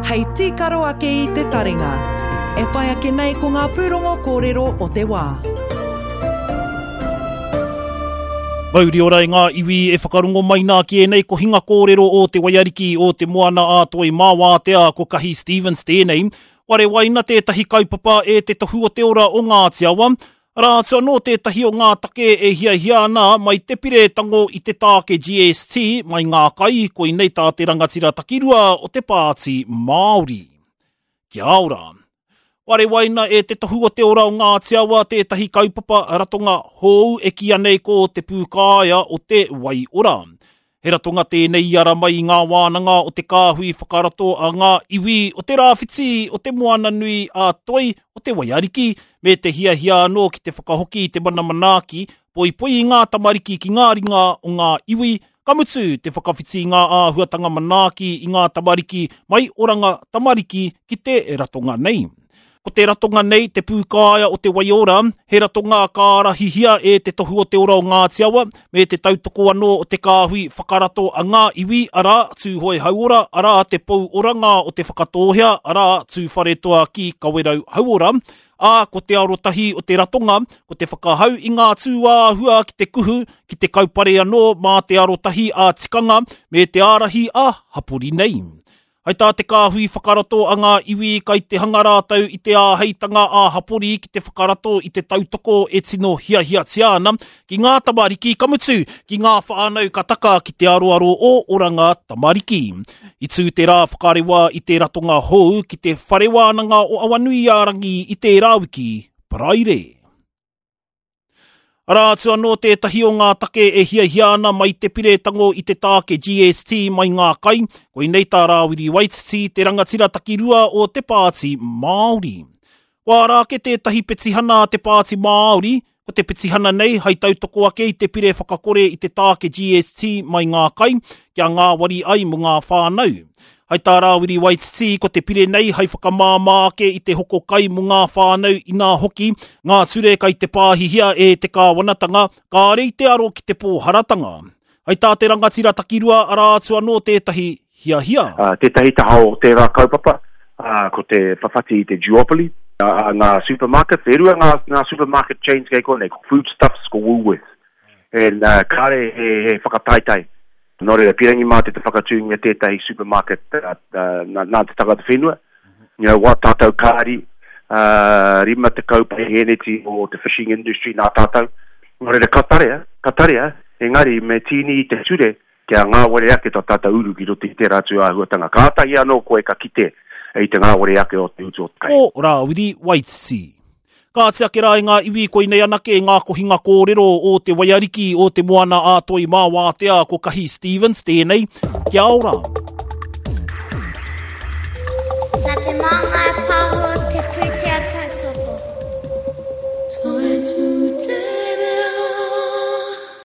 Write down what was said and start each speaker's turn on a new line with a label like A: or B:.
A: Hei tīkaro ake i te taringa. E whai ake nei ko ngā pūrongo kōrero o te wā.
B: Mauri ora i ngā iwi e whakarongo mai nā ki ēnei kohinga kōrero o Te Waiariki o Te Moana a Toi mā Wātea ko Kahi Stevens tēnei. Warewaina tētahi kaupapa e Te Tohu o Te Ora o Ngāti Awa. Arā atu anō tētahi o ngā take e hiahia ana mai te pire tango i te tāke GST mai ngā kai, koinei tā te rangatira takirua o te Pāti Māori. Kia ora. Warewaina e Te Tohu o Te Ora o Ngāti Awa tētahi kaupapa ratonga hou e kīia nei ko Te Pūkāea o Te Wai Ora. He ratonga tēnei i ara mai i ngā wānanga o te kāhui whakarato a ngā iwi o te rāwhiti o Te Moananui a Toi o Te Waiariki, me te hiahia anō ki te whakahoki i te mana manaaki, poipoi i ngā tamariki ki ngā ringa o ngā iwi, ka mutu te whakawhiti i ngā āhuatanga manaaki i ngā tamariki mai Oranga Tamariki ki te ratonga nei. Ko te ratonga nei, Te Pūkāea o Te Waiora, he ratonga ka ārahihia e Te Tohu o Te Ora o Ngāti Awa, me te tautoko anō o te kāhui whakarato a ngā iwi, arā, Tūhoe Hauora, arā, Te Pou Oranga o Te Whakatōhea, arā, Tūwharetoa ki Kawerau Hauora, ā, ko te arotahi o te ratonga, ko te whakahau i ngā tūāhua ki te kuhu, ki te kaupare anō mā te arotahi ā-tikanga me te ārahi ā-hapori nei. Hai tā te kāhui whakarato a ngā iwi kai te hanga rātou i te āheitanga ā-hapori ki te whakarato i te tautoko e tino hiahiatia ana ki ngā tamariki, ka mutu, ki ngā whānau ka taka ki te aroaro o Oranga Tamariki. I tū te rā whakarewa i te ratonga hou ki te Whare Wānanga o Awanuiārangi i tērā wiki, Paraire. Arā atu anō tētahi o ngā take e hiahia ana mai te pire tango i te tāke GST mai ngā kai, koinei tā Rāwiri Waititi, te rangatira takirua o te Pāti Māori. Kua ara ake tētahi petihana a te Pāti Māori, ko te petihana nei hai tautoko ake i te pire whakakore i te tāke GST mai ngā kai, kia ngāwari ai mō ngā whānau. Hai tā Rāwiri Waititi, ko te pire nei hai whakamāmā ake i te hoko kai mō ngā whānau inā hoki ngā ture kai te pāhihia e te kāwanatanga kāre i te aro ki te pōharatanga. Hai tā te rangatira takirua arā atu anō tētahi hiahia.
C: Tētahi taha o tērā kaupapa, ko te whawhati i te duopoly a ngā supermarkets. E rua ngā supermarket chains kei konei, ko Foodstuffs, ko Woolworths. And kāre he whakataetae Nō reira, pīrangi mātou te whakatūngia tētahi supermarket nā te tangata whenua. You know, wā tātou kāri, 50 paihēneti o te fishing industry nā tātou. Nō reira, ka tarea, ka tarea, engari me tīni i te ture kia ngāwari ake tā tātou uru ki roto i tērā atu āhuatanga. Kātahi anō koe ka kite i te ngāwari ake o te utu o te kai.
B: Ko Rāwiri Waititi. Kāti ake rā i ngā iwi koinei anake ngā kohinga kōrero o Te Waiariki, o Te Moana a Toi mā Wātea ko Kahi Stevens tēnei. Kia ora!
D: Nā te māngai.